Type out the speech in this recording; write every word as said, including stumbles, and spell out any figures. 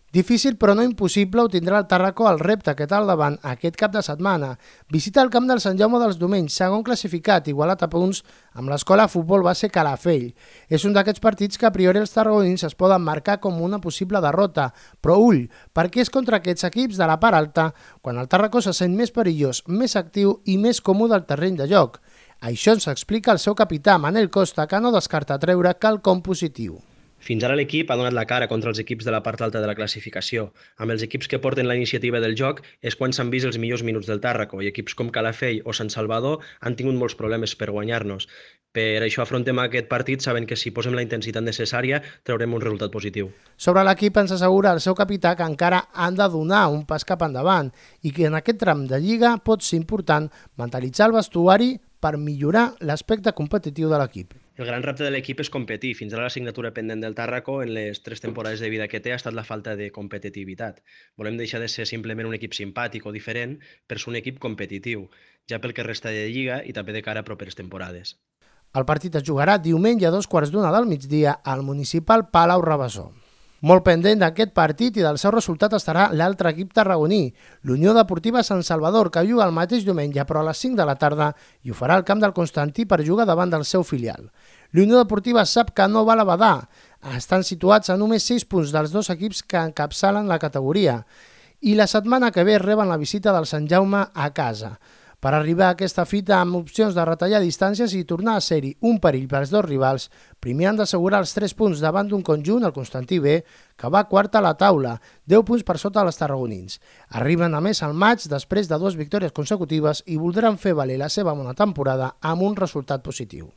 Difícil però no impossible ho tindrà el Tàrraco al repte que té al davant aquest cap de setmana. Visita el camp del Sant Jaume dels Domenys, segon classificat, igualat a punts amb l'escola futbol base Calafell. És un d'aquests partits que a priori els tarragonins es poden marcar com una possible derrota, però ull, perquè és contra aquests equips de la part alta quan el Tàrraco se sent més perillós, més actiu i més còmode al terreny de joc. Això ens explica el seu capità, Manel Costa, que no descarta treure quelcom positiu. Fins ara l'equip ha donat la cara contra els equips de la part alta de la classificació. Amb els equips que porten la iniciativa del joc és quan s'han vist els millors minuts del Tàrraco i equips com Calafell o Sant Salvador han tingut molts problemes per guanyar-nos. Per això afrontem aquest partit sabent que si posem la intensitat necessària traurem un resultat positiu. Sobre l'equip ens assegura el seu capità que encara han de donar un pas cap endavant i que en aquest tram de lliga pot ser important mentalitzar el vestuari per millorar l'aspecte competitiu de l'equip. El gran repte de l'equip és competir. Fins ara l'assignatura pendent del Tàrraco en les tres temporades de vida que té ha estat la falta de competitivitat. Volem deixar de ser simplement un equip simpàtic o diferent per ser un equip competitiu, ja pel que resta de lliga i també de cara a properes temporades. El partit es jugarà diumenge a dos quarts d'una del migdia al municipal Palau Rabassó. Molt pendent d'aquest partit i del seu resultat estarà l'altre equip tarragoní, l'Unió Deportiva Sant Salvador, que juga el mateix diumenge però a les cinc de la tarda i ho farà al camp del Constantí per jugar davant del seu filial. L'Unió Deportiva sap que no val a badar, estan situats a només sis punts dels dos equips que encapçalen la categoria i la setmana que ve reben la visita del Sant Jaume a casa. Per arribar a aquesta fita amb opcions de retallar distàncies i tornar a ser-hi un perill pels dos rivals, primer han d'assegurar els tres punts davant d'un conjunt, el Constantí B, que va quart a la taula, deu punts per sota dels tarragonins. Arriben a més al maig després de dues victòries consecutives i voldran fer valer la seva bona temporada amb un resultat positiu.